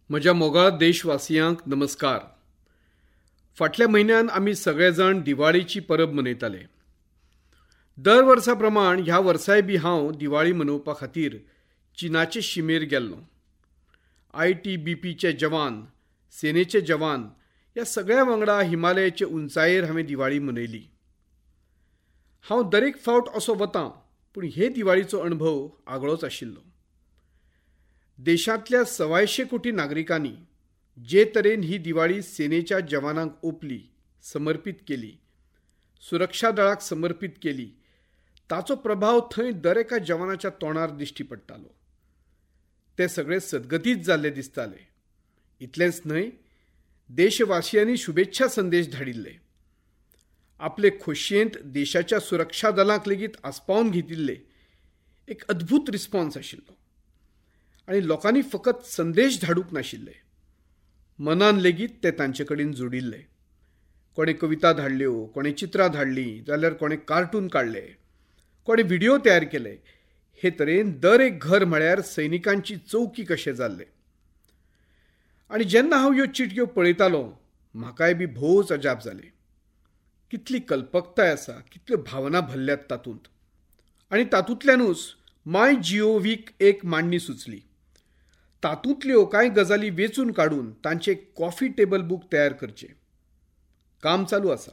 म्हज्या मोगाळ देशवासियांक नमस्कार. फाटल्या म्हयन्यान आमी सगळे जाण दिवाळीची परब मनयताले. दर वर्सा प्रमाण ह्या वर्साय बी हांव दिवाळी मनोवपा खातीर चीनाचे शिमेर गेल्लो. ITBPचे जवान, सेनेचे जवान ह्या सगळ्या वांगडा हिमालयाचे उंचायेर हांवें दिवाळी मनयली. हांव दरेक फावट असो वतां, पूण हे दिवाळीचो अणभव आगळोच आशिल्लो. देशांतल्या 125 कोटी नागरिकांनी जे तरेन ही दिवाळी सेनेच्या जवानांक ओंपली, समर्पित केली, सुरक्षा दळाक समर्पित केली, ताचो प्रभाव थंय दर एका जवानाच्या तोंडार दिश्टी पडटालो. ते सगळे सद्गतीत जाल्ले दिसताले. इतलेंच न्हय, देशवासियांनी शुभेच्छा संदेश धाडिल्ले. आपले खोशयेंत देशाच्या सुरक्षा दलांक लेगीत आस्पावन घेतिल्ले. एक अद्भूत रिस्पॉन्स आशिल्लो आनी लोकांनी फकत संदेश धाडूंक नाशिल्ले, मनान लेगीत ते तांचे कडेन जोडिल्ले. कोणें कविता धाडल्यो, कोणें चित्रां धाडलीं, जाल्यार कोणें कार्टून काडले, कोणें व्हिडिओ तयार केले. हे तरेन दर एक घर म्हळ्यार सैनिकांची चौकी कशें जाल्लें. आनी जेन्ना हांव ह्यो चिटयो पळयतालो, म्हाकाय बी भोवच अजाप जालें. कितली कल्पकताय आसा, कितल्यो भावना भरल्यात तातूंत. आनी तातूंतल्यानूच माय GOVक एक मांडणी सुचली. तातूंतल्यो कांय गजाली वेंचून काडून तांचे एक कॉफी टेबल बूक तयार करचें. काम चालू आसा.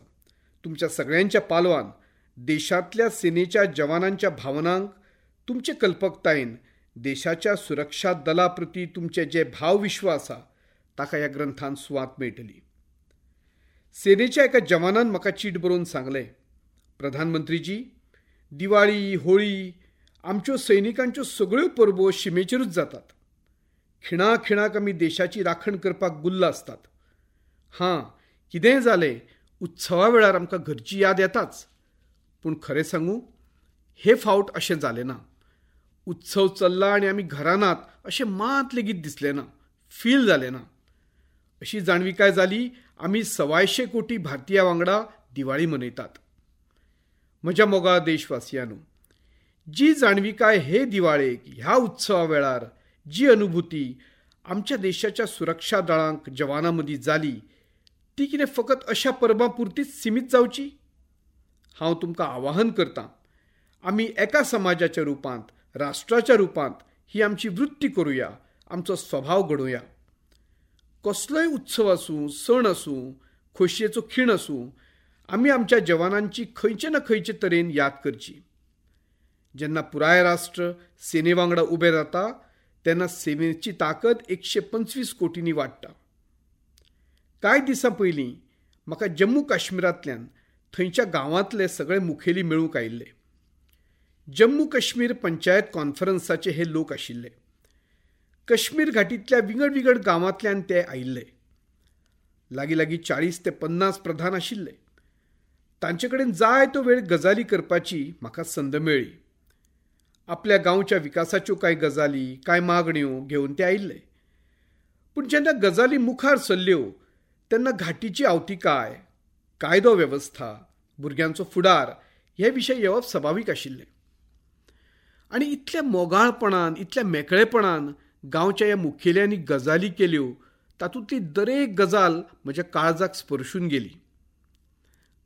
तुमच्या सगळ्यांच्या पालवान देशांतल्या सेनेच्या जवानांच्या भावनांक तुमचे कल्पकतायेन देशाच्या सुरक्षा दला प्रती तुमचे जे भावविश्व आसा ताका ह्या ग्रंथान सुवात मेळटली. सेनेच्या एका जवानान म्हाका चीट बरोवन सांगलें, प्रधानमंत्रीजी, दिवाळी, होळी आमच्यो सैनिकांच्यो सगळ्यो परबो शिमेचेरूच जातात. खिणाखिणाक आमी देशाची राखण करपाक गुल्ल आसतात. हां, कितेंय जालें, उत्सवा वेळार आमकां घरची याद येताच. पूण खरें सांगू, हे फावट अशें जालें ना. उत्सव चल्ला आनी आमी घरा नात अशें मात लेगीत दिसलें ना, फील जालें ना. अशी जाणविकाय जाली आमी 125 कोटी भारतीया वांगडा दिवाळी मनयतात. म्हज्या मोगाळ देशवासियांनो, जी जाणविकाय हे दिवाळेक, ह्या उत्सवा वेळार जी अनुभूती आमच्या देशाच्या सुरक्षा दळांक जवानां मदीं जाली, ती कितें फकत अशा परबां पुरतीच सिमीत जावची? हांव तुमकां आवाहन करतां, आमी एका समाजाच्या रुपांत, राष्ट्राच्या रुपांत ही आमची वृत्ती करुया, आमचो स्वभाव घडोवया. कसलोय उत्सव आसूं, सण आसूं, खोशयेचो खीण आसूं, आमी आमच्या जवानांची खंयचे ना खंयचे तरेन याद करची. जेन्ना पुराय राष्ट्र सेने वांगडा उबें रावता तेन्ना सेनेची ताकद 125 कोटींनी वाडटा. कांय दिसां पयलीं म्हाका जम्मू काश्मीरांतल्यान थंयच्या गांवांतले सगळे मुखेली मेळूंक आयिल्ले. जम्मू काश्मीर पंचायत कॉन्फरन्साचे हे लोक आशिल्ले. काश्मीर घाटींतल्या विंगड विंगड गांवांतल्यान ते आयिल्ले. लागीं लागीं 40 ते 50 प्रधान आशिल्ले. तांचे कडेन जाय तो वेळ गजाली करपाची म्हाका संद मेळ्ळी. आपल्या गांवच्या विकासाच्यो कांय गजाली, कांय मागण्यो घेवन ते आयिल्ले. पूण जेन्ना गजाली मुखार सरल्यो तेन्ना घाटीची आवतिकाय, कायदो वेवस्था, भुरग्यांचो फुडार हे विशय येवप सभावीक आशिल्लें. आनी इतल्या मोगाळपणान, इतल्या मेकळेपणान गांवच्या ह्या मुखेल्यांनी गजाली केल्यो, तातूंतली दरेक गजाल म्हज्या काळजाक स्पर्शून गेली.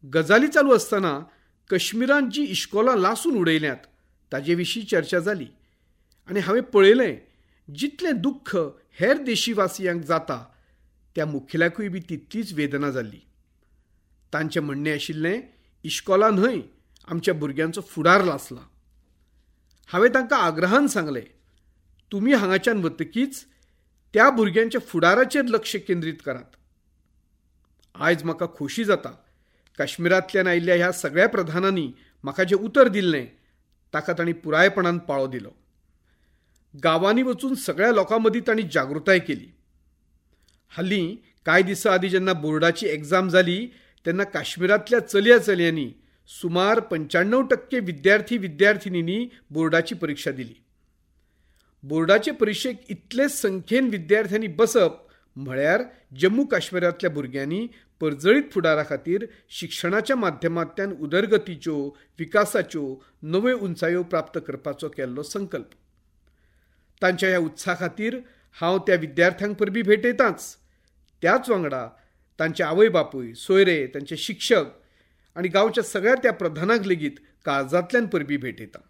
गजाली चालू आसतना काश्मीरांत जी इश्कोलां लासून उडयल्यांत ताजे विशीं चर्चा जाली आनी हांवें पळयलें, जितलें दुख्ख हेर देशवासियांक जाता त्या मुखेल्याकूय बी तितलीच वेदना जाल्ली. तांचें म्हणणें आशिल्लें, इश्कोलां न्हय, आमच्या भुरग्यांचो फुडार लासला. हांवें तांकां आग्रहान सांगलें, तुमी हांगाच्यान वतकीच त्या भुरग्यांच्या फुडाराचेर लक्ष केंद्रीत करात. आयज म्हाका खोशी जाता, काश्मीरांतल्यान आयिल्ल्या ह्या सगळ्या प्रधानांनी म्हाका जें उतर दिल्लें ताका तांणी पुरायपणान पाळो दिलो. गांवांनी वचून सगळ्या लोकां मदीं तांणी जागृताय केली. हालीं कांय दिसां आदीं जेन्ना बोर्डाची एग्जाम जाली तेन्ना काश्मीरांतल्या चलया चलयांनी सुमार 95% विद्यार्थी विद्यार्थिनींनी बोर्डाची परिक्षा दिली. बोर्डाचे परिक्षेक इतले संख्येन विद्यार्थ्यांनी बसप म्हळ्यार जम्मू काश्मीरांतल्या भुरग्यांनी परजळीत फुडारा खातीर शिक्षणाच्या माध्यमांतल्यान उदरगतीच्यो, विकासाच्यो नव्यो उंचायो प्राप्त करपाचो केल्लो संकल्प. तांच्या ह्या उत्साहा खातीर हांव त्या विद्यार्थ्यांक परबीं भेटयतांच, त्याच वांगडा तांचे आवय बापूय, सोयरे, तांचे शिक्षक आनी गांवच्या सगळ्या त्या प्रधानांक लेगीत काळजांतल्यान परबीं भेटयतां.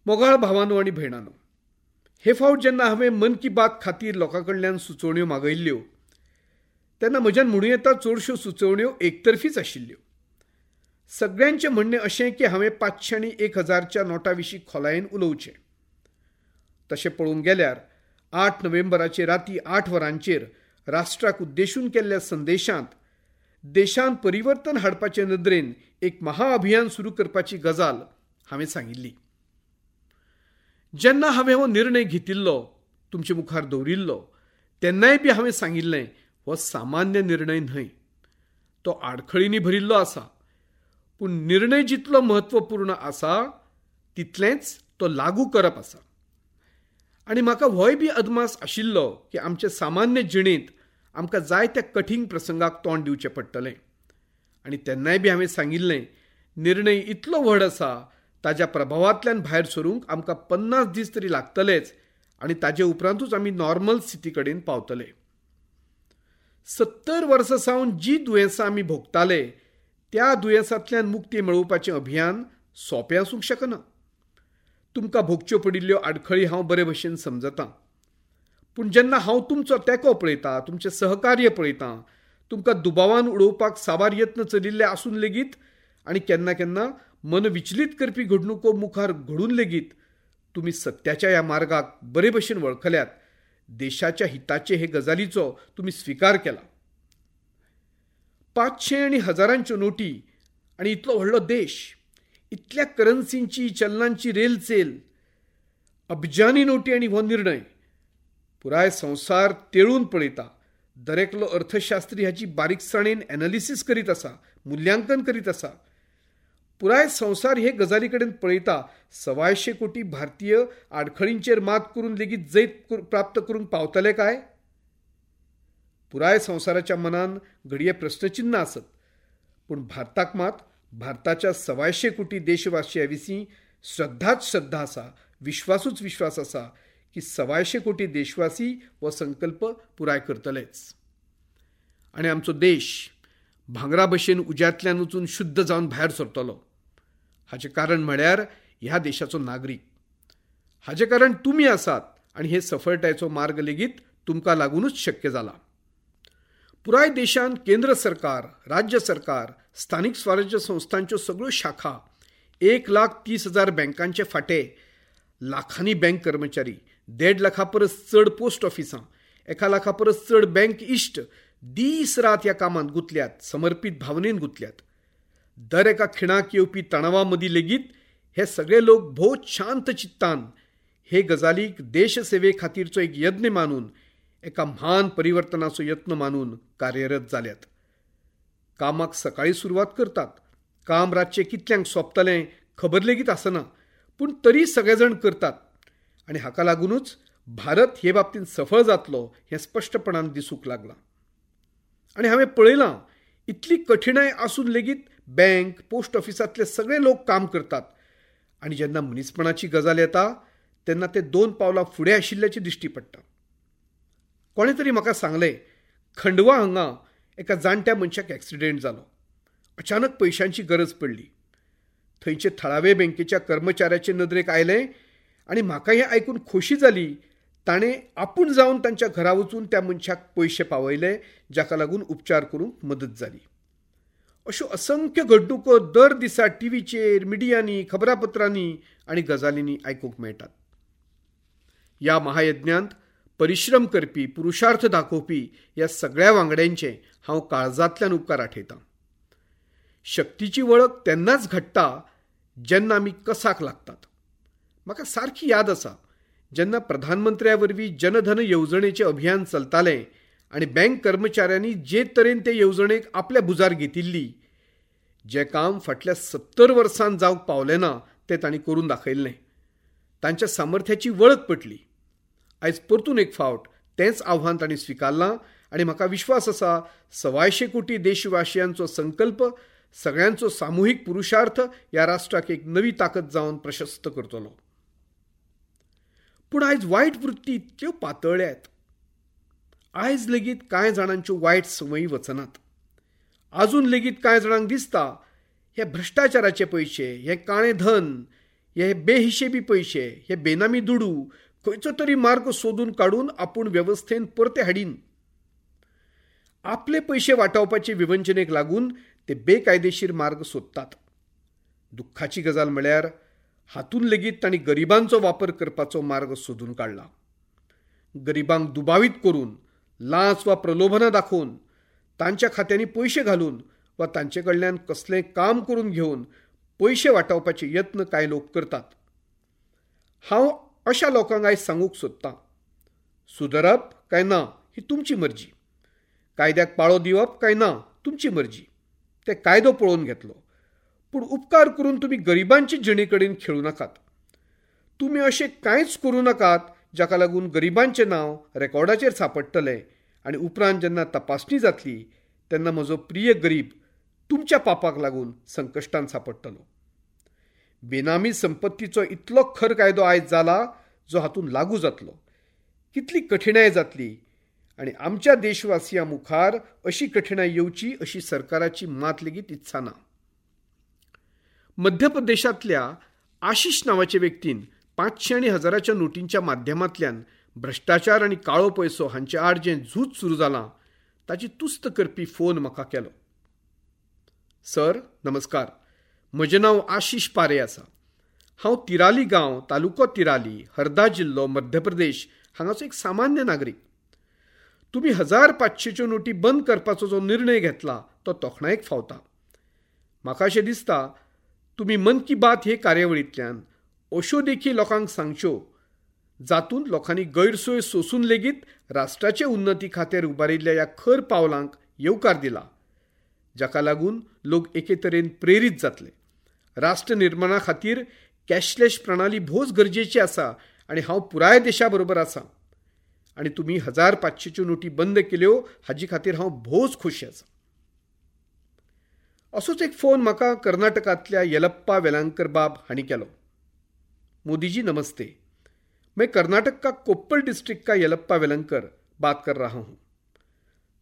मोगाळ भावानो आनी भयणानो, हे फावट जेन्ना हांवें मन की बात खातीर लोकां कडल्यान सुचोवण्यो मागयल्ल्यो तेन्ना म्हज्यान म्हणूं येता चडश्यो सुचोवण्यो एकतर्फीच आशिल्ल्यो. सगळ्यांचें म्हणणें अशें की हांवें 500 आनी 1000च्या नोटां विशीं खोलायेन उलोवचें. तशें पळोवंक गेल्यार 8 नोव्हेंबराचे राती 8 वरांचेर राष्ट्राक उद्देशून केल्ल्या संदेशांत देशांत परिवर्तन हाडपाचे नदरेन एक महाअभियान सुरू करपाची गजाल हांवें सांगिल्ली. जेन्ना हांवें हो निर्णय घेतिल्लो, तुमचे मुखार दवरिल्लो, तेन्नाय बी हांवें सांगिल्लें हो सामान्य निर्णय न्हय, तो आडखळींनी भरिल्लो आसा. पूण निर्णय जितलो म्हत्वपूर्ण आसा तितलेंच तो लागू करप आसा. आनी म्हाका होय बी अदमास आशिल्लो की आमचे सामान्य जिणेंत आमकां जायत्या कठीण प्रसंगाक तोंड दिवचें पडटलें. आनी तेन्नाय बी हांवें सांगिल्लें निर्णय इतलो व्हड आसा, ताज्या प्रभावांतल्यान भायर सरूंक आमकां 50 दीस तरी लागतलेच आनी ताजे उपरांतूच आमी नॉर्मल स्थिती कडेन पावतले. 70 वर्सां सावन जी दुयेंसां आमी भोगताले त्या दुयेंसांतल्यान मुक्ती मेळोवपाचें अभियान सोंपें आसूंक शकना. तुमकां भोगच्यो पडिल्ल्यो आडखळी हांव बरे भशेन समजतां, पूण जेन्ना हांव तुमचो तेंको पळयतां, तुमचें सहकार्य पळयतां, तुमकां दुबावान उडोवपाक साबार यत्न चलिल्ले आसून लेगीत आनी केन्ना केन्ना मन विचलीत करपी घडणुको मुखार घडून लेगीत तुमी सत्याच्या ह्या मार्गाक बरे भशेन वळखल्यात, देशाच्या हिताचे हे गजालीचो तुमी स्विकार केला. 500 आनी हजारांच्यो नोटी आनी इतलो व्हडलो देश, इतल्या करन्सींची चलनांची रेलचेल, अब्जानी नोटी आनी हो निर्णय पुराय संवसार तेळून पळयता. दरेकलो अर्थशास्त्री हाची बारीकसाणेन एनालिसीस करीत आसा, मुल्यांकन करीत आसा. पुराय संवसार हे गजाली कडेन पळयता. 125 कोटी भारतीय आडखळींचेर मात करून लेगीत जैत प्राप्त करूंक पावतले काय? पुराय संवसाराच्या मनान घडये प्रस्नचिन्ह आसत, पूण भारताक मात भारताच्या 125 कोटी देशवासियां विशीं श्रद्धाच श्रद्धा आसा, विश्वासूच विश्वास आसा की 125 कोटी देशवासी हो संकल्प पुराय करतलेच. आनी आमचो देश भांगरा भशेन उज्यांतल्यान वचून शुद्ध जावन भायर सरतलो. हाचें कारण म्हळ्यार ह्या देशाचो नागरीक. हाचें कारण तुमी आसात आनी हे सफळतायेचो मार्ग लेगीत तुमकां लागुनूच शक्य जाला. पुराय देशांत केंद्र सरकार, राज्य सरकार, स्थानीक स्वराज्य संस्थांच्यो सगळ्यो शाखा, 1,30,000 बँकांचे फांटे, लाखांनी बँक कर्मचारी, 1.5 लाखां परस चड पोस्ट ऑफिसां, 1 लाखा परस चड बँक इश्ट दीस रात ह्या कामांत गुंतल्यात, समर्पीत भावनेन गुंतल्यात. दर एका खिणाक येवपी तणावा मदीं लेगीत हे सगळे लोक भोव शांत चित्तान हे गजालीक देशसेवे खातीरचो एक यत्न मानून, एका म्हान परिवर्तनाचो यत्न मानून कार्यरत जाल्यात. कामाक सकाळीं सुरवात करतात, काम रातचें कितल्यांक सोंपतलें खबर लेगीत आसना, पूण तरी सगळे जाण करतात. आनी हाका लागुनूच भारत हे बाबतींत सफळ जातलो हें स्पश्टपणान दिसूंक लागलां. आनी हांवें पळयलां इतली कठिणाय आसून लेगीत बँक, पोस्ट ऑफिसांतले सगळे लोक काम करतात. आनी जेन्ना मनीसपणाची गजाल येता तेन्ना ते 2 पावलां फुडें आशिल्ल्याची दिश्टी पडटा. कोणें तरी म्हाका सांगलें, खंडवा हांगा एका जाणट्या मनशाक एक्सिडेंट जालो. अचानक पयशांची गरज पडली. थंयचे थळावे बँकेच्या कर्मचाऱ्याचे नदरेक आयलें आनी म्हाका हें आयकून खोशी जाली. ताणें आपूण जावन तांच्या घरा वचून त्या मनशाक पयशे पावयले, जाका लागून उपचार करूंक मदत जाली. अश्यो असंख्य घडणुको दर दिसा टीव्हीचेर, मिडियांनी, खबरापत्रांनी आनी गजालींनी आयकूंक मेळटात. ह्या महायज्ञांत परिश्रम करपी, पुरुषार्थ दाखोवपी ह्या सगळ्या वांगड्यांचे हांव काळजांतल्यान उपकार आठयतां. शक्तीची वळख तेन्नाच घडटा जेन्ना आमी कसाक लागतात. म्हाका सारकी याद आसा, जेन्ना प्रधानमंत्र्या वरवीं जनधन येवजणेचें अभियान चलतालें आनी बँक कर्मचाऱ्यांनी जे तरेन ते येवजणेक आपल्या भुजार घेतिल्ली, जें काम फाटल्या 70 वर्सांत जावंक पावलें ना तें तांणी करून दाखयल्लें. तांच्या सामर्थ्याची वळख पटली. आयज परतून एक फावट तेंच आव्हान तांणी स्विकारलां आनी म्हाका विश्वास आसा 125 कोटी देशवासियांचो संकल्प, सगळ्यांचो सामुहीक पुरुषार्थ ह्या राष्ट्राक एक नवी ताकद जावन प्रशस्त करतलो. पूण आयज वायट वृत्ती इतक्यो पातळ्ळ्यात. आयज लेगीत कांय जाणांच्यो वायट संवयी वचनात. आजून लेगीत कांय जाणांक दिसता हे भ्रश्टाचाराचे पयशे, हे काळें धन, हे बेहिशेबी पयशे, हे बेनामी दुडू खंयचो तरी मार्ग सोदून काडून आपूण वेवस्थेन परते हाडीन. आपले पयशे वाटावपाचे विवंचनेक लागून ते बेकायदेशीर मार्ग सोदतात. दुख्खाची गजाल म्हळ्यार हातून लेगीत तांणी गरिबांचो वापर करपाचो मार्ग सोदून काडला. गरिबांक दुबावीत करून, लांच वा प्रलोभनां दाखोवन, तांच्या खात्यांनी पयशे घालून वा तांचे कडल्यान कसलें काम करून घेवन पयशे वाटावपाचे यत्न कांय लोक करतात. हांव अशा लोकांक आयज सांगूंक सोदतां, सुदरप काय ना ही तुमची मर्जी, कायद्याक पाळो दिवप काय ना तुमची मर्जी, ते कायदो पळोवन घेतलो, पूण उपकार करून तुमी गरिबांचे जिणे कडेन खेळूं नाकात. तुमी अशें कांयच करूं नाकात जाका लागून गरिबांचें नांव रेकॉर्डाचेर सांपडटलें आनी उपरांत जेन्ना तपासणी जातली तेन्ना म्हजो प्रिय गरीब तुमच्या पापाक लागून संकश्टान सांपडटलो. बेनामी संपत्तीचो इतलो खर कायदो आयज जाला जो हातूंत लागू जातलो. कितली कठिणाय जातली आनी आमच्या देशवासियां मुखार अशी कठिणाय येवची अशी सरकाराची मात लेगीत इत्सा ना. मध्य प्रदेशांतल्या आशिष नांवाचे व्यक्तीन 500 आनी 1000च्या नोटींच्या माध्यमांतल्यान भ्रश्टाचार आनी काळो पयसो हांचे आड जें झूज सुरू जालां ताची तुस्त करपी फोन म्हाका केलो. सर नमस्कार, म्हजें नांव आशिष पारे आसा. हांव तिराली गांव, तालुको तिराली, हरदा जिल्लो, मध्य प्रदेश हांगाचो एक सामान्य नागरीक. तुमी 1500च्यो नोटी बंद करपाचो जो निर्णय घेतला तो तोखणायेक फावता. म्हाका अशें दिसता तुमी मन की बात हे कार्यावळींतल्यान अश्यो देखी लोकांक सांगच्यो जातूंत लोकांनी गैरसोय सोसून लेगीत राष्ट्राचे उन्नती खातीर उबारिल्ल्या ह्या खर पावलांक येवकार दिला, जाका लागून लोक एके तरेन प्रेरीत जातले. राष्ट्र निर्माणा खातीर कॅशलेस प्रणाली भोवच गरजेची आसा आनी हांव पुराय देशा बरोबर आसा. आनी तुमी 1500च्यो नोटी बंद केल्यो हाजी खातीर हांव भोवच खोशी आसा. असोच एक फोन म्हाका कर्नाटकांतल्या येलप्पा वेलांकर बाब हांणी केलो. मोदीजी नमस्ते, मैं कर्नाटक का कोप्पल डिस्ट्रिक्ट का येलप्पा वेलंकर बात कर रहा हूँ.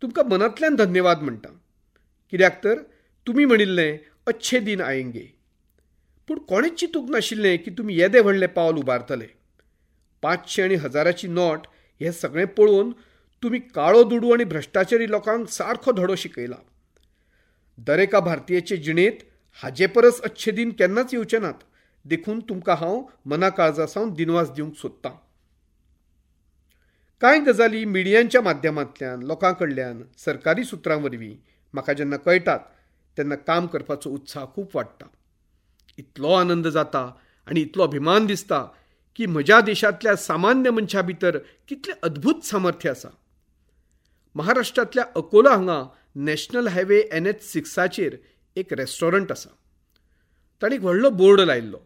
तुमकां मनांतल्यान धन्यवाद म्हणटा, कित्याक तर तुमी म्हणिल्लें अच्छे दिन आयेंगे, पूण कोणेच चिंतूंक नाशिल्लें की तुमी येदें व्हडलें पावल उबारतले. 500 आनी 1000ची नोट हें सगळें पळोवन तुमी काळो दुडू आनी भ्रश्टाचारी लोकांक सारको धडो शिकयला. दरेका भारतीयाचे जिणेंत हाजे परस अच्छे दिन केन्नाच येवचे नात, देखून तुमकां हांव मना काळजा सावन दिनवास दिवंक सोदतां. कांय गजाली मिडियांच्या माध्यमांतल्यान, लोकां कडल्यान, सरकारी सुत्रां वरवीं म्हाका जेन्ना कळटात तेन्ना काम करपाचो उत्साह खूब वाडटा. इतलो आनंद जाता आनी इतलो अभिमान दिसता की म्हज्या देशांतल्या सामान्य मनशां भितर कितलें अद्भूत सामर्थ्य आसा. महाराष्ट्रांतल्या अकोला हांगा नॅशनल हायवे NH6 एक रेस्टॉरंट आसा. ताणें एक व्हडलो बोर्ड लायिल्लो,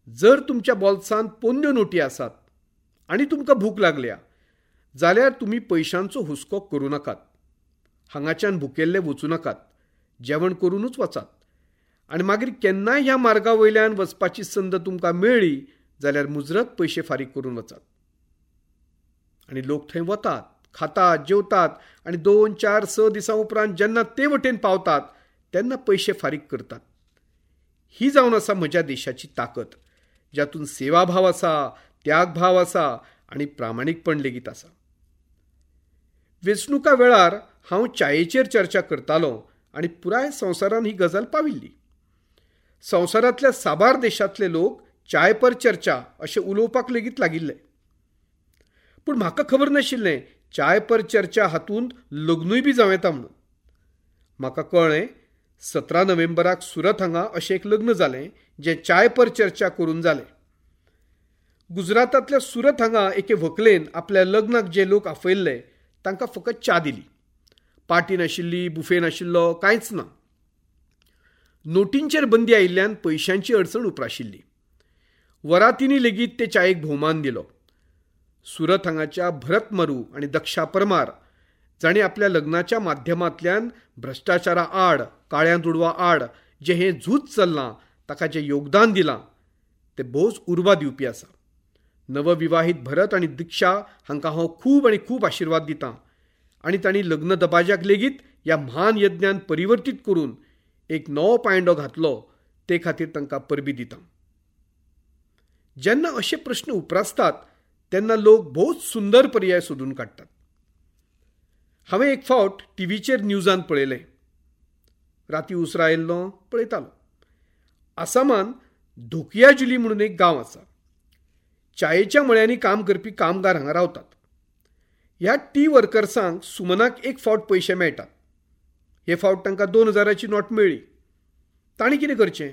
जर तुमच्या बोल्सांत पोन्न्यो नोटी आसात आनी तुमकां भूक लागल्या जाल्यार तुमी पयशांचो हुस्को करूं नाकात, हांगाच्यान भुकेल्ले वचूं नाकात, जेवण करूनच वचात आनी मागीर केन्नाय ह्या मार्गा वयल्यान वचपाची संद तुमकां मेळ्ळी जाल्यार मुजरत पयशे फारीक करून वचात. आनी लोक थंय वतात, खातात, जेवतात आनी 2, 4, 6 दिसां उपरांत जेन्ना ते वटेन पावतात तेन्ना पयशे फारीक करतात. ही जावन आसा म्हज्या देशाची ताकद, जातूंत सेवाभाव आसा, त्यागभाव आसा आनी प्रामाणीकपण लेगीत आसा. वेंचणुका वेळार हांव च्यायेचेर चर्चा करतालो आनी पुराय संवसारान ही गजाल पाविल्ली. संवसारांतल्या साबार देशांतले लोक चाय पर चर्चा अशें उलोवपाक लेगीत लागिल्ले. पूण म्हाका खबर नाशिल्लें चाय पर चर्चा हातूंत लग्नूय बी जावं येता म्हणून. म्हाका कळ्ळें 17 नोव्हेंबराक सुरत हांगा अशें एक लग्न जालें जें चाय पर चर्चा करून जालें. गुजरातांतल्या सुरत हांगा एके व्हंकलेन आपल्या लग्नाक जे लोक आफयल्ले तांकां फकत च्या दिली. पार्टी नाशिल्ली, बुफे नाशिल्लो, कांयच ना. नोटींचेर बंदी आयिल्ल्यान पयशांची अडचण उप्राशिल्ली. वरातींनी लेगीत ते च्यायेक भोवमान दिलो. सुरत हांगाच्या भरत मरू आनी दक्षा परमार जांणी आपल्या लग्नाच्या माध्यमांतल्यान भ्रश्टाचारा आड, काळ्या दुडवा आड जें हें झूज चल्लां ताका जें योगदान दिलां तें भोवच उर्बा दिवपी आसा. नवविवाहीत भरत आनी दीक्षा हांकां हांव खूब आनी खूब आशिर्वाद दितां आनी तांणी लग्न दबाज्याक लेगीत ह्या म्हान यज्ञान परिवर्तीत करून एक नवो पांयडो घातलो ते खातीर तांकां परबी दितां. जेन्ना अशे प्रश्न उप्रासतात तेन्ना लोक भोवच सुंदर पर्याय सोदून काडटात. हांवें एक फावट टीव्हीचेर न्यूजान पळयलें. राती उसरां आयिल्लो पळयतालो. आसामान धोकियाजुली म्हणून एक गांव आसा. चायेच्या मळ्यांनी काम करपी कामगार हांगा रावतात. ह्या टी वर्कर्सांक सुमनाक एक फावट पयशे मेळटात. हे फावट तांकां 2000ची नोट मेळ्ळी. तांणी कितें करचें?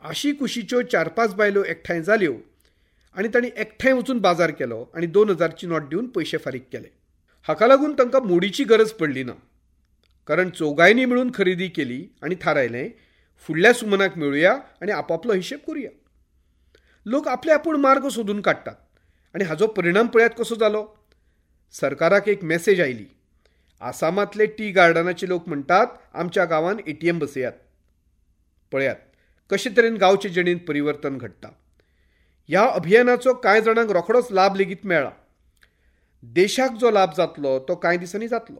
आशी कुशीच्यो 4-5 बायलो एकठांय जाल्यो आनी तांणी एकठांय वचून बाजार केलो आनी 2000ची नोट दिवन पयशे फारीक केले. हाका लागून तांकां मोडीची गरज पडली ना, कारण चौगांयनी मेळून खरेदी केली आनी थारायलें फुडल्या सुमनाक मेळुया आनी आपापलो हिशेब करुया. लोक आपले आपूण मार्ग सोदून काडटात आनी हाजो परिणाम पळयात कसो जालो. सरकाराक एक मॅसेज आयली. आसामांतले टी गार्डनाचे लोक म्हणटात आमच्या गांवान ATM बसयात. पळयात कशे तरेन गांवचे जिणेंत परिवर्तन घडटा. ह्या अभियानाचो कांय जाणांक रोखडोच लाभ लेगीत मेळ्ळा. देशाक जो लाभ जातलो तो कांय दिसांनी जातलो,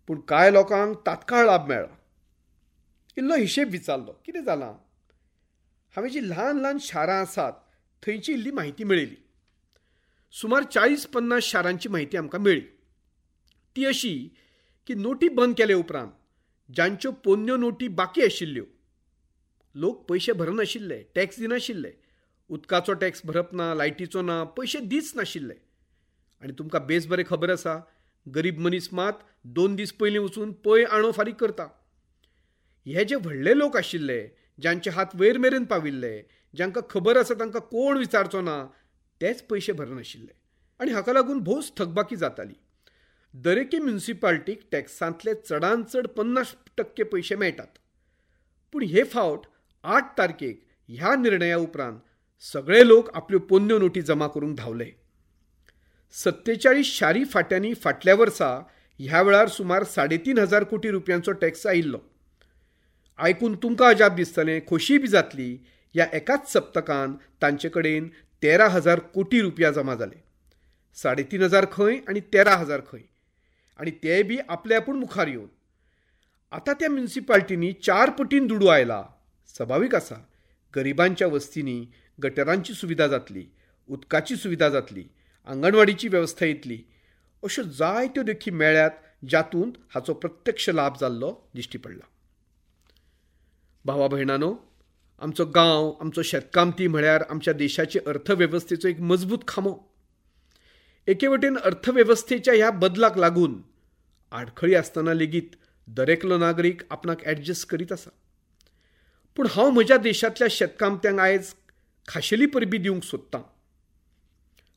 पूण कांय लोकांक तात्काळ लाभ मेळ्ळा. इल्लो हिशेब विचारलो, कितें जालां? हांवें जी ल्हान ल्हान शारां आसात थंयची इल्ली म्हायती मेळयली. सुमार 40-50 शारांची म्हायती आमकां मेळ्ळी. ती अशी की नोटी बंद केले उपरांत जांच्यो पोन्न्यो नोटी बाकी आशिल्ल्यो, लोक पयशे भरनाशिल्ले, टॅक्स दिनाशिल्ले, उदकाचो टॅक्स भरप ना, लायटीचो ना, पयशे दीच नाशिल्ले. आनी तुमकां बेस बरें खबर आसा, गरीब मनीस मात 2 दीस पयलीं वचून पय आणो फारीक करता. हे जे व्हडले लोक आशिल्ले, जांचे हात वयर मेरेन पाविल्ले, जांकां खबर आसा तांकां कोण विचारचो ना, तेच पयशे भरनाशिल्ले आनी हाका लागून भोवच थकबाकी जाताली. दरेकी म्युनिसिपाल्टीक टॅक्सांतले चडान चड 50% पयशे मेळटात, पूण हे फावट 8 तारखेक ह्या निर्णया उपरांत सगळे लोक आपल्यो पोन्न्यो नोटी जमा करूंक धांवले. 47 शारी फाट्यांनी फाटल्या वर्सा ह्या वेळार सुमार 3,500 कोटी रुपयांचो टॅक्स आयिल्लो. आयकून तुमकां अजाप दिसतलें, खोशी बी जातली. ह्या एकाच सप्तकान तांचे कडेन 13,000 कोटी रुपया जमा जाले. 3,500 खंय आनी 13,000 खंय, आनी ते बी आपले आपूण मुखार येवन. आतां त्या म्युनिसिपाल्टींनी 4 पटीन दुडू आयला. सभावीक आसा, गरिबांच्या वस्तींनी गटरांची सुविधा जातली, उदकाची सुविधा जातली, आंगणवाडीची वेवस्था येतली. अश्यो जायत्यो देखी मेळ्ळ्यात जातूंत हाचो प्रत्यक्ष लाभ जाल्लो दिश्टी पडला. भावा भयणानो, आमचो गांव, आमचो शेतकामती म्हळ्यार आमच्या देशाचे अर्थवेवस्थेचो एक मजबूत खांबो. एके वटेन अर्थवेवस्थेच्या ह्या बदलाक लागून आडखळी आसतना लेगीत दरेकलो नागरीक आपणाक ॲडजस्ट करीत आसा. पूण हांव म्हज्या देशांतल्या शेतकामत्यांक आयज खाशेली परबी दिवंक सोदतां.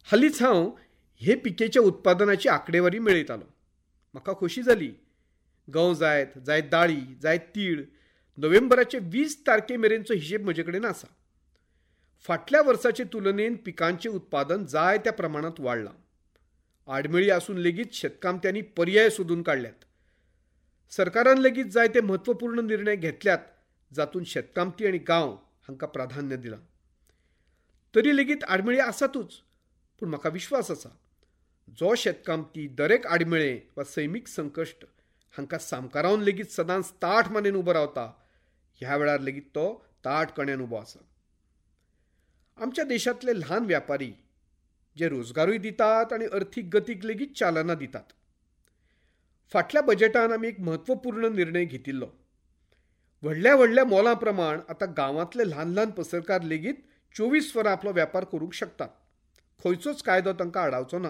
हालींच हांव हे पिकेच्या उत्पादनाची आंकडेवारी मेळयतालो. म्हाका खोशी जाली. गंव जायत, जायत दाळी, जायत तीळ, नोव्हेंबराचे 20 तारखे मेरेनचो हिशेब म्हजे कडेन आसा. फाटल्या वर्साचे तुलनेन पिकांचें उत्पादन जाय त्या प्रमाणांत वाडलां. आडमेळी आसून लेगीत शेतकामत्यांनी पर्याय सोदून काडल्यात. सरकारान लेगीत जायते म्हत्वपूर्ण निर्णय घेतल्यात जातूंत शेतकामती आनी गांव हांकां प्राधान्य दिलां. तरी लेगीत आडमेळी आसातूच, पूण म्हाका विश्वास आसा जो शेतकामती दरेक आडमेळे वा सैमीक संकश्ट हांकां सामकारावन लेगीत सदांच ताठ मानेन उबो रावता, ह्या वेळार लेगीत तो ताठ कण्यान उबो आसा. आमच्या देशांतले ल्हान व्यापारी जे रोजगारूय दितात आनी अर्थीक गतीक लेगीत चालना दितात. फाटल्या बजेटान आमी एक म्हत्वपूर्ण निर्णय घेतिल्लो. व्हडल्या व्हडल्या मोलां प्रमाण आतां गांवांतले ल्हान ल्हान पसरकार लेगीत 24 वरां आपलो व्यापार करूंक शकतात. खंयचोच कायदो तांकां आडावचो ना.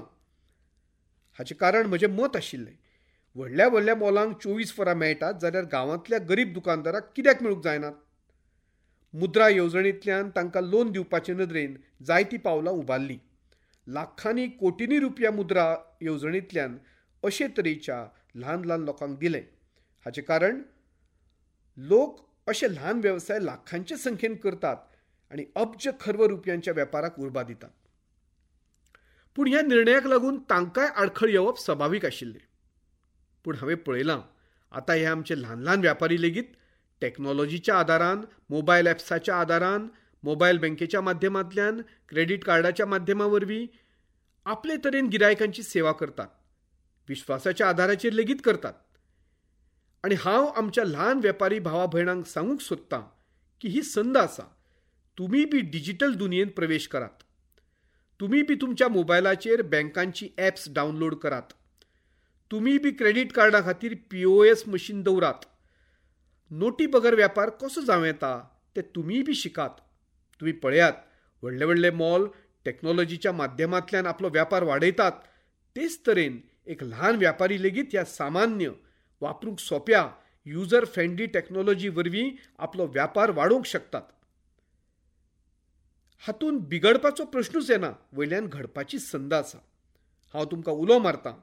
हाचें कारण म्हजें मत आशिल्लें, व्हडल्या व्हडल्या मोलांक 24 वरां मेळटात जाल्यार गांवांतल्या गरीब दुकानदाराक कित्याक मेळूंक जायनात? मुद्रा येवजणेंतल्यान तांकां लोन दिवपाचे नदरेन जायतीं पावलां उबारलीं. लाखांनी कोटींनी रुपया मुद्रा येवजणेंतल्यान अशे तरेच्या ल्हान ल्हान लोकांक दिलें. हाचें कारण लोक अशे ल्हान वेवसाय लाखांचे संख्येन करतात आनी अब्ज खर्व रुपयांच्या वेपाराक उर्बा दितात. पूण ह्या निर्णयाक लागून तांकांय आडखळ येवप सभावीक आशिल्लें. पूण हांवें पळयलां आतां हे आमचे ल्हान ल्हान व्यापारी लेगीत टॅक्नॉलॉजीच्या आदारान, मोबायल ॲप्साच्या आदारान, मोबायल बँकेच्या माध्यमांतल्यान, क्रेडीट कार्डाच्या माध्यमा वरवीं आपले तरेन गिरायकांची सेवा करतात, विश्वासाच्या आधाराचेर लेगीत करतात. आनी हांव आमच्या ल्हान वेपारी भावा भयणांक सांगूंक सोदतां की ही संद आसा, तुमी बी डिजिटल दुनियेंत प्रवेश करात. तुमी बी तुमच्या मोबायलाचेर बँकांची ॲप्स डावनलोड करात. तुमी बी क्रेडीट कार्डा खातीर POS machine दवरात. नोटी बगर व्यापार कसो जावं येता तें तुमीय बी शिकात. तुमी पळयात, व्हडले व्हडले मॉल टॅक्नोलॉजीच्या माध्यमांतल्यान आपलो व्यापार वाडयतात. तेच तरेन एक ल्हान व्यापारी लेगीत ह्या सामान्य, वापरूंक सोंप्या, युजर फ्रेंडली टॅक्नोलॉजी वरवीं आपलो व्यापार वाडोवंक शकतात. हातूंत बिगडपाचो प्रश्नूच येना, वयल्यान घडपाची संद आसा. हांव तुमकां उलो मारतां,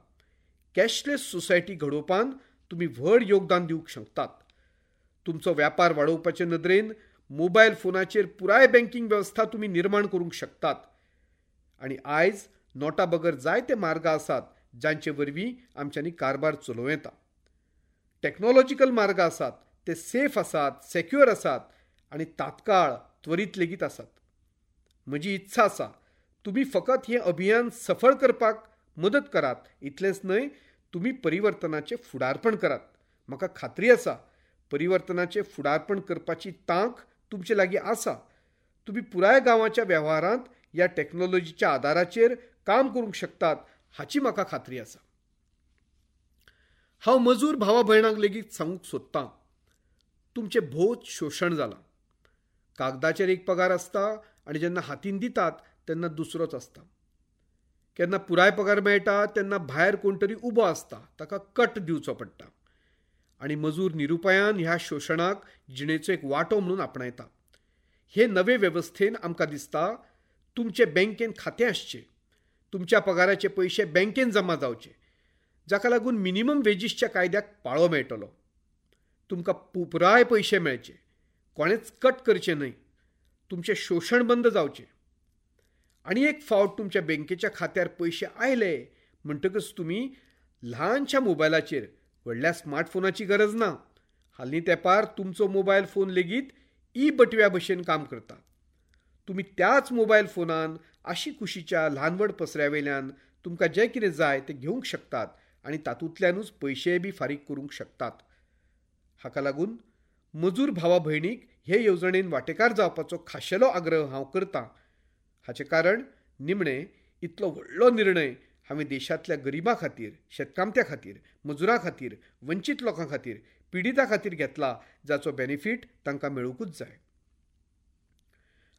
कॅशलेस सोसायटी घडोवपान तुमी व्हड योगदान दिवंक शकतात. तुमचो व्यापार वाडोवपाचे नदरेन मोबायल फोनाचेर पुराय बँकींग वेवस्था तुमी निर्माण करूंक शकतात. आनी आयज नोटा बगर जायते मार्ग आसात जांचे वरवीं आमच्यांनी कारभार चलोवं येता. टॅक्नोलॉजिकल मार्ग आसात, ते सेफ आसात, सेक्युअर आसात आनी तात्काळ त्वरीत लेगीत आसात. म्हजी इत्सा आसा तुमी फकत हें अभियान सफळ करपाक मदत करात, इतलेंच न्हय, तुमी परिवर्तनाचें फुडारपण करात. म्हाका खात्री आसा परिवर्तनाचें फुडारपण करपाची तांक तुमचे लागीं आसा. तुमी पुराय गांवाच्या वेव्हारांत ह्या टॅक्नोलॉजीच्या आदाराचेर काम करूंक शकतात हाची म्हाका खात्री आसा. हांव मजूर भावा भयणांक लेगीत सांगूंक सोदतां, तुमचें भोवच शोशण जालां. कागदाचेर एक पगार आसता आनी जेन्ना हातीन दितात तेन्ना दुसरोच आसता. केन्ना पुराय पगार मेळटा, तेन्ना भायर कोण तरी उबो आसता, ताका कट दिवचो पडटा. आनी मजूर निरुपायान ह्या शोशणाक जिणेचो एक वांटो म्हणून आपणायता. हे नवे वेवस्थेन आमकां दिसता तुमचे बँकेन खातें आसचें, तुमच्या पगाराचे पयशे बँकेन जमा जावचे, जाका लागून मिनिमम वेजीसच्या कायद्याक पाळो मेळटलो. तुमकां पुराय पयशे मेळचे, कोणेच कट करचें न्हय, तुमचें शोशण बंद जावचें. आनी एक फावट तुमच्या बँकेच्या खात्यार पयशे आयले म्हणटकच तुमी ल्हानशा मोबायलाचेर, व्हडल्या स्मार्टफोनाची गरज ना, हालीं तेंपार तुमचो मोबायल फोन लेगीत ई बटव्या भशेन काम करता. तुमी त्याच मोबायल फोनान आशीकुशीच्या ल्हान व्हड पसऱ्या वयल्यान तुमकां जें कितें जाय तें घेवंक शकतात आनी तातूंतल्यानूच पयशेय बी फारीक करूंक शकतात. हाका लागून मजूर भावा भयणीक हे येवजणेन वांटेकार जावपाचो खाशेलो आग्रह हांव करतां. हाचें कारण निमणें इतलो व्हडलो निर्णय हांवें देशांतल्या गरिबां खातीर, शेतकामत्या खातीर, मजुरां खातीर, वंचीत लोकां खातीर, पिडितां खातीर घेतला, जाचो बेनिफीट तांकां मेळुंकूच जाय.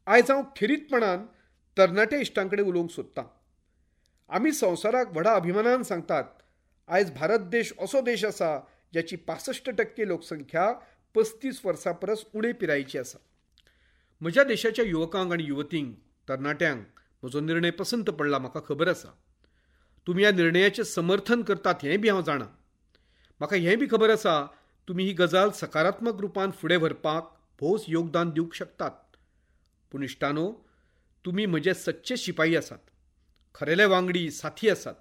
आयज हांव खेरीतपणान तरणाट्या इश्टां कडेन उलोवंक सोदतां. आमी संवसाराक व्हडा अभिमानान सांगतात, आयज भारत देश असो देश आसा ज्याची 65% लोकसंख्या 35 वर्सां परस उणे पिरायेची आसा. म्हज्या देशाच्या युवकांक आनी युवतींक, तरणाट्यांक म्हजो निर्णय पसंत पडला, म्हाका खबर आसा. तुमी ह्या निर्णयाचें समर्थन करतात हें बी हांव जाणा. म्हाका हें बी खबर आसा तुमी ही गजाल सकारात्मक रुपान फुडें व्हरपाक भोवच योगदान दिवंक शकतात. पूण इश्टानो, तुमी म्हजे सच्चे शिपाई आसात, खरेले वांगडी साथी आसात.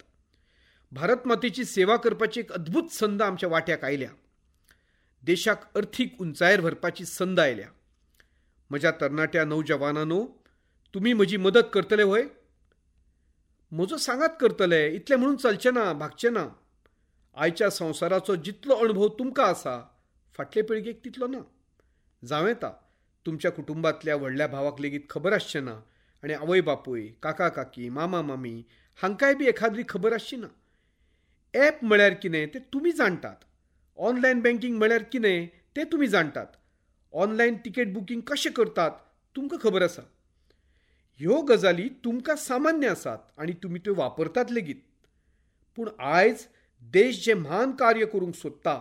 भारत मातेची सेवा करपाची एक अद्भूत संद आमच्या वाट्याक आयल्या. देशाक अर्थीक उंचायेर व्हरपाची संद आयल्या. म्हज्या तरणाट्या नौजवानांनो, तुमी म्हजी मदत करतले व्हय? म्हजो सांगात करतले इतलें म्हणून चलचें ना, भागचें ना. आयच्या संवसाराचो जितलो अणभव तुमकां आसा फाटले पिळगेक तितलो ना. जावं येता तुमच्या कुटुंबांतल्या व्हडल्या भावाक लेगीत खबर आसचें ना आनी आवय बापूय, काका काकी, मामा मामी हांकांय बी एखाद्री खबर आसची ना. ॲप म्हळ्यार कितें तें तुमी जाणटात, ऑनलायन बँकींग म्हळ्यार कितें तें तुमी जाणटात, ऑनलायन तिकेट बुकींग कशें करतात तुमकां खबर आसा. ह्यो गजाली तुमकां सामान्य आसात आनी तुमी त्यो वापरतात लेगीत. पूण आयज देश जें म्हान कार्य करूंक सोदता,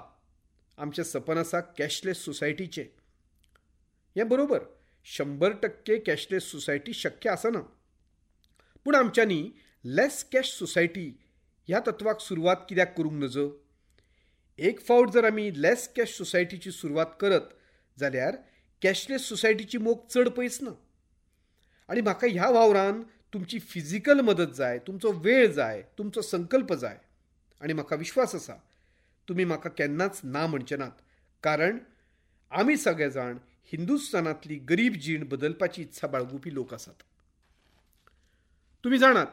आमचें सपन आसा कॅशलेस सोसायटीचें. हें बरोबर, 100% कॅशलेस सोसायटी शक्य आसना, पूण आमच्यांनी लेस कॅश सोसायटी ह्या तत्वाक सुरवात कित्याक करूंक नजो? एक फावट जर आमी लेस कॅश सोसायटीची सुरवात करत जाल्यार कॅशलेस सोसायटीची मोख चड पयस ना. आनी म्हाका ह्या वावरान तुमची फिजिकल मदत जाय, तुमचो वेळ जाय, तुमचो संकल्प जाय. आनी म्हाका विश्वास आसा तुमी म्हाका केन्नाच ना म्हणचे नात, कारण आमी सगळे जाण हिंदुस्थानांतली गरीब जीण बदलपाची इत्सा बाळगुपी लोक आसात. तुमी जाणात,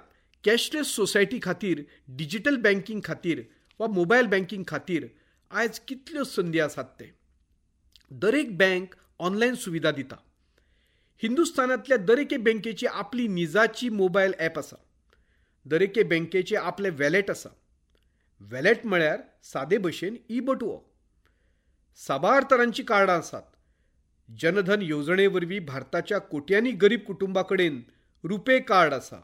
कॅशलेस सोसायटी खातीर, डिजिटल बँकिंग खातीर वा मोबायल बँकिंग खातीर आयज कितल्यो संदी आसात ते. दरेक बँक ऑनलायन सुविधा दिता. हिंदुस्थानांतल्या दरेके बँकेची आपली निजाची मोबायल ॲप आसा. दरेके बँकेचे आपलें वॅलेट आसा. वॅलेट म्हळ्यार सादे भशेन ई बटवो. साबार तरांची कार्डां आसात. जनधन येवजणे वरवीं भारताच्या कोट्यांनी गरीब कुटुंबा कडेन रुपे कार्ड आसा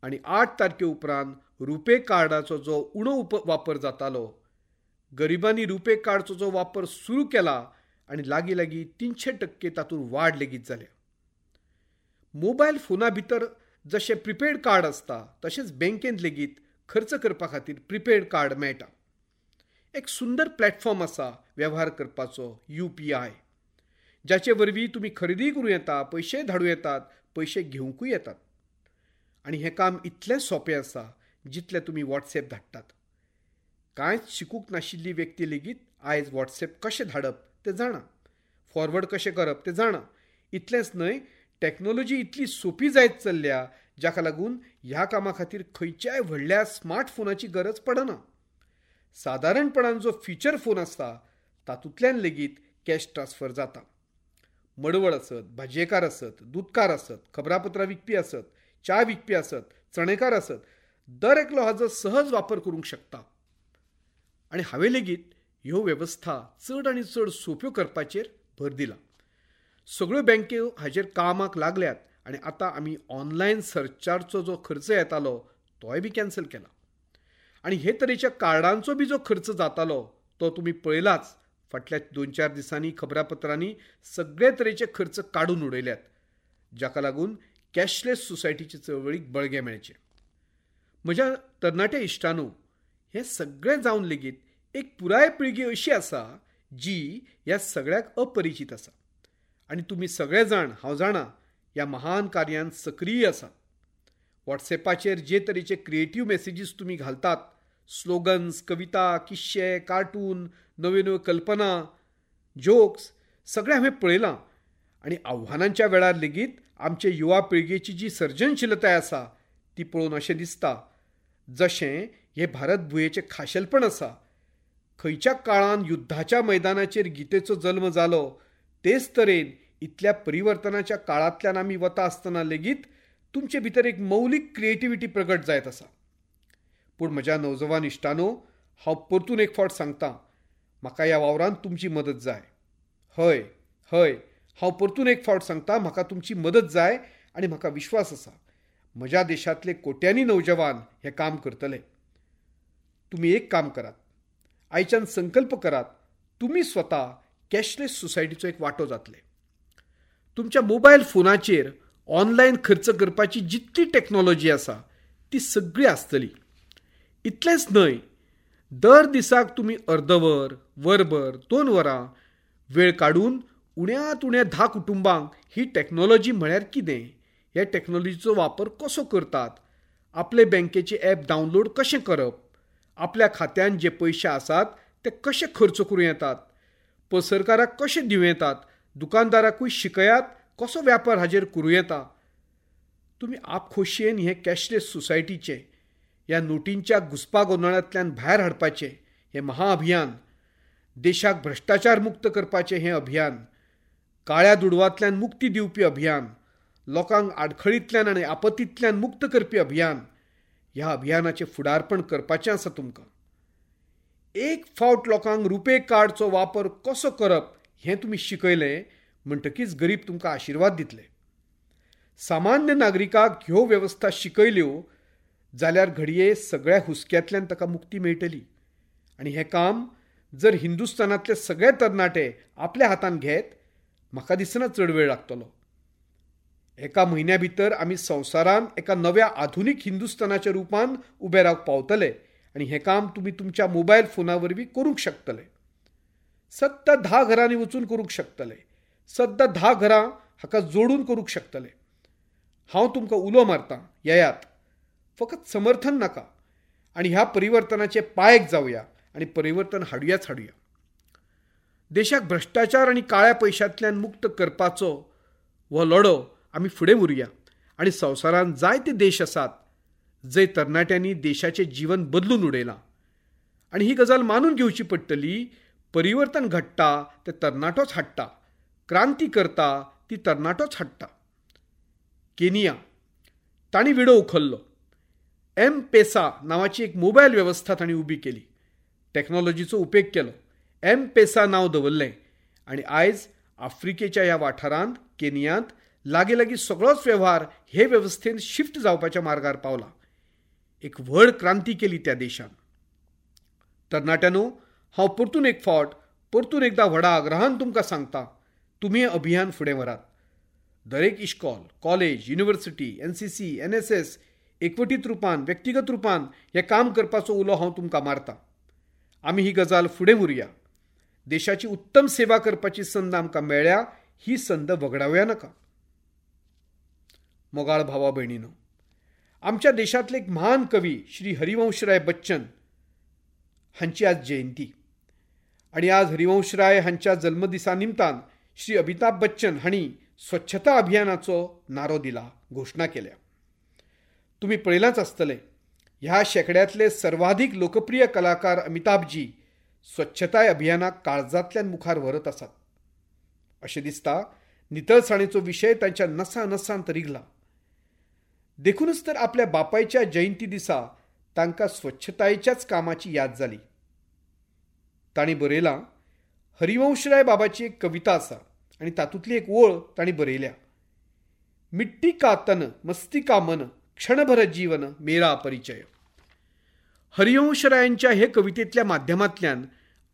आनी 8 तारखे उपरांत रुपे कार्डाचो जो उणो वापर जातालो, गरिबांनी रुपे कार्डचो जो वापर सुरू केला आनी लागीं लागीं 300% तातूंत वाड लेगीत जाल्या. मोबायल फोना भितर जशें प्रिपेड कार्ड आसता तशेंच बँकेंत लेगीत खर्च करपा खातीर प्रिपेड कार्ड मेळटा. एक सुंदर प्लॅटफॉर्म आसा वेव्हार करपाचो, UPI, जाचे वरवीं तुमी खरेदी करूं येता, पयशे धाडूं येतात, पयशे घेवंकूय येतात. आनी हें काम इतलें सोंपें आसा जितलें तुमी वॉट्सएप धाडटात. कांयच शिकूंक नाशिल्ली व्यक्ती लेगीत आयज वॉट्सएप कशें धाडप तें जाणा, फॉरवर्ड कशें करप तें जाणा. इतलेंच न्हय, टॅक्नोलॉजी इतली सोंपी जायत चल्ल्या जाका लागून ह्या कामा खातीर खंयच्याय व्हडल्या स्मार्टफोनाची गरज पडना. सादारणपणान जो फिचर फोन आसता तातूंतल्यान लेगीत कॅश ट्रान्सफर जाता. मडवळ आसत, भाजयेकार आसत, दुदकार आसत, खबरापत्रां विकपी आसत, च्या विकपी आसत, चणेकार आसत, दर एकलो हाजो सहज वापर करूंक शकता. आनी हांवें लेगीत ह्यो वेवस्था चड आनी चड सोंप्यो करपाचेर भर दिला. सगळ्यो बँक्यो हाजेर कामाक लागल्यात आनी आतां आमी ऑनलायन सरचार्जचो जो खर्च येतालो तोय बी कॅन्सल केला. आनी हे तरेच्या कार्डांचो बी जो खर्च जातालो तो तुमी पळयलाच. फाटल्या 2-4 दिसांनी खबरापत्रांनी सगळे तरेचे खर्च काडून उडयल्यात, जाका लागून कॅशलेस सोसायटीचे चळवळीक बळगें मेळचें. म्हज्या तरणाट्या इश्टांनो, हें सगळें जावन लेगीत एक पुराय पिळगी अशी आसा जी ह्या सगळ्याक अपरिचीत आसा. आनी तुमी सगळे जाण, हांव जाणा, ह्या महान कार्यान सक्रीय आसात. वॉट्सएपाचेर जे तरेचे क्रिएटीव मॅसेजीस तुमी घालतात, स्लोगन्स, कविता, किस्से, कार्टून, नव्यो नव्यो कल्पना, जोक्स, सगळें हांवें पळयलां. आनी आव्हानांच्या वेळार लेगीत आमचे युवा पिळगेची जी सर्जनशीलताय आसा ती पळोवन अशें दिसता जशें हें भारत भुंयेचें खाशेलपण आसा. खंयच्या काळान युद्धाच्या मैदानाचेर गीतेचो जल्म जालो तेच तरेन इतल्या परिवर्तनाच्या काळांतल्यान आमी वता आसतना लेगीत तुमचे भितर एक मौलीक क्रिएटिविटी प्रगट जायत आसा. पूण म्हज्या नवजवान इश्टानो, हांव परतून एक फावट सांगतां, म्हाका ह्या वावरांत तुमची मदत जाय. हय हय, हांव परतून एक फावट सांगता, म्हाका तुमची मदत जाय आनी म्हाका विश्वास आसा म्हज्या देशांतले कोट्यांनी नवजवान हें काम करतले. तुमी एक काम करात, आयच्यान संकल्प करात, तुमी स्वता कॅशलेस सोसायटीचो एक वांटो जातले. तुमच्या मोबायल फोनाचेर ऑनलायन खर्च करपाची जितली टॅक्नोलॉजी आसा ती सगळी आसतली. इतलेंच न्हय, दर दिसाक तुमी अर्दवर, वरभर, 2 वरां वेळ काडून उण्यांत उण्या 10 कुटुंबांक ही टॅक्नोलॉजी म्हळ्यार कितें, ह्या टॅक्नोलॉजीचो वापर कसो करतात, आपले बँकेचे ॲप डावनलोड कशें करप, आपल्या खात्यान जे पयशे आसात ते कशे खर्च करूं येतात, पसरकाराक कशे दिवं येतात, दुकानदाराकूय शिकयात कसो व्यापार हाजेर करूं येता. तुमी आपखोशयेन हें कॅशलेस सोसायटीचें, ह्या नोटींच्या घुसपा गोंदळांतल्यान भायर हाडपाचें हें महाअभियान, देशाक भ्रश्टाचार मुक्त करपाचें हें अभियान, काळ्या दुडवांतल्यान मुक्ती दिवपी अभियान, लोकांक आडखळींतल्यान आनी आपत्तींतल्यान मुक्त करपी अभियान, ह्या अभियानाचें फुडारपण करपाचें आसा तुमकां. एक फावट लोकांक रुपे कार्डचो वापर कसो करप हें तुमी शिकयलें म्हणटकीच गरीब तुमकां आशिर्वाद दितले. सामान्य नागरिकाक ह्यो वेवस्था शिकयल्यो जाल्यार घडये सगळ्या हुस्क्यांतल्यान ताका मुक्ती मेळटली. आनी हें काम जर हिंदुस्थानांतले सगळे तरणाटे आपल्या हातान घेत, म्हाका दिसना चड वेळ लागतलो. एका म्हयन्या भितर आमी संवसारान एका नव्या आधुनीक हिंदुस्थानाच्या रुपान उबे रावंक पावतले आनी हें काम तुमी तुमच्या मोबायल फोना वरवीं करूंक शकतले. सद्दां 10 घरांनी वचून करूंक शकतले, सद्दां 10 घरां हाका जोडून करूंक शकतले. हांव तुमकां उलो मारतां, येयात, फकत समर्थन नाका, आनी ह्या परिवर्तनाचे पायक जावया आनी परिवर्तन हाडुयाच हाडुया. देशाक भ्रश्टाचार आनी काळ्या पयशांतल्यान मुक्त करपाचो हो लढो आमी फुडें व्हरूया आनी संवसारांत जायते देश आसात जंय तरणाट्यांनी देशाचें जीवन बदलून उडयलां आनी ही गजाल मानून घेवची पडटली, परिवर्तन घडटा तें तरणाटोच हाडटा, क्रांती करता ती तरणाटोच हाडटा. केनिया तांणी विडो उखल्लो. एम पेसा नांवाची एक मोबायल वेवस्था तांणी उबी केली. टॅक्नॉलॉजीचो उपेग केलो. एम पेसा नांव दवरलें आनी आयज आफ्रिकेच्या ह्या वाठारांत केनियांत लागीं लागीं सगळोच वेव्हार हे वेवस्थेन शिफ्ट जावपाच्या मार्गार पावला. एक व्हड क्रांती केली त्या देशान. तरणाट्यांनो, हांव परतून एक फावट परतून एकदां व्हडा आग्रहान तुमकां सांगता, तुमी हें अभियान फुडें व्हरात. दरेक इश्कॉल, कॉलेज, युनिवर्सिटी, NCC, NSS एकवटीत रुपान, व्यक्तिगत रुपान हें काम करपाचो उलो हांव तुमकां मारता. आमी ही गजाल फुडें व्हरूया. देशाची उत्तम सेवा करपाची संद आमकां मेळ्ळ्या, ही संद वगडावया नाका. मोगाळ भावा भयणीनो, आमच्या देशांतले एक महान कवी श्री हरिवंशराय बच्चन हांची आज जयंती आनी आज हरिवंशराय हांच्या जल्मदिसा निमतान श्री अमिताभ बच्चन हांणी स्वच्छता अभियानाचो नारो दिला, घोशणा केल्या. तुमी पळयलांच आसतलें, ह्या शेंकड्यांतले सर्वाधिक लोकप्रिय कलाकार अमिताभजी स्वच्छताय अभियानाक काळजांतल्यान मुखार व्हरत आसात. अशें दिसता नितळसाणेचो विशय तांच्या नसा नसांत रिगला. देखूनच तर आपल्या बापायच्या जयंती दिसा तांकां स्वच्छतायेच्याच कामाची याद जाली. तांणी बरयलां, हरिवंशराय बाबाची एक कविता आसा आनी तातूंतली एक ओळ तांणी बरयल्या, मिट्टी का तन मस्ती का मन क्षणभर जीवन मेरा परिचय. हरिवंशरायांच्या हे कवितेंतल्या माध्यमांतल्यान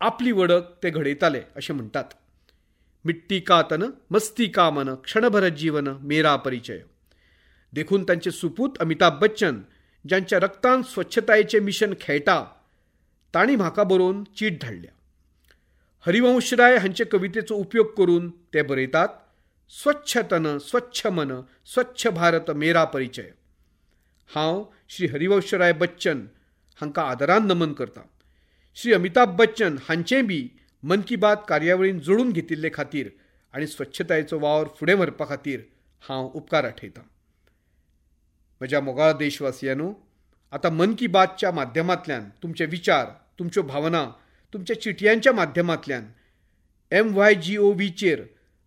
आपली वळख ते घडयताले अशें म्हणटात. मिट्टी का तन मस्ती का मन क्षणभर जीवन मेरा परिचय. देखून तांचे सुपूत अमिताभ बच्चन ज्यांच्या रक्तान स्वच्छतायेचें मिशन खेळटा तांणी म्हाका बरोवन चीट धाडल्या. हरिवंशराय हांचे कवितेचो उपयोग करून ते बरयतात, स्वच्छ तन स्वच्छ मन स्वच्छ भारत मेरा परिचय. हांव श्री हरिवंशराय बच्चन हांकां आदरान नमन करता. श्री अमिताभ बच्चन हांचें बी मन की बात कार्यावळीन जोडून घेतिल्ले खातीर आनी स्वच्छतायेचो वावर फुडें व्हरपा खातीर हांव उपकार आठयतां. म्हज्या मोगाळ देशवासियांनो, आतां मन की बातच्या माध्यमांतल्यान तुमचे विचार, तुमच्यो भावना, तुमच्या चिटयांच्या माध्यमांतल्यान MYGOVचेर,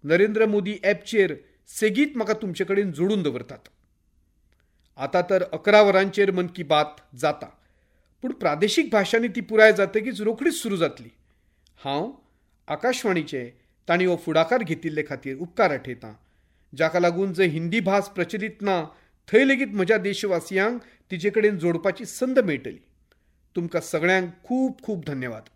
नरेंद्र मोदी ॲपचेर सेगीत म्हाका तुमचे कडेन जोडून दवरतात. आतां तर 11 वरांचेर मन की बात जाता, पूण प्रादेशीक भाशांनी ती पुराय जातकीच रोखडीच सुरू जातली. हांव आकाशवाणीचे तांणी हो फुडाकार घेतिल्ले खातीर उपकार आठयतां, जाका लागून जंय हिंदी भास प्रचलीत ना थंय लेगीत म्हज्या देशवासियांक तिचे कडेन जोडपाची संद मेळटली. तुमकां सगळ्यांक खूब खूब धन्यवाद.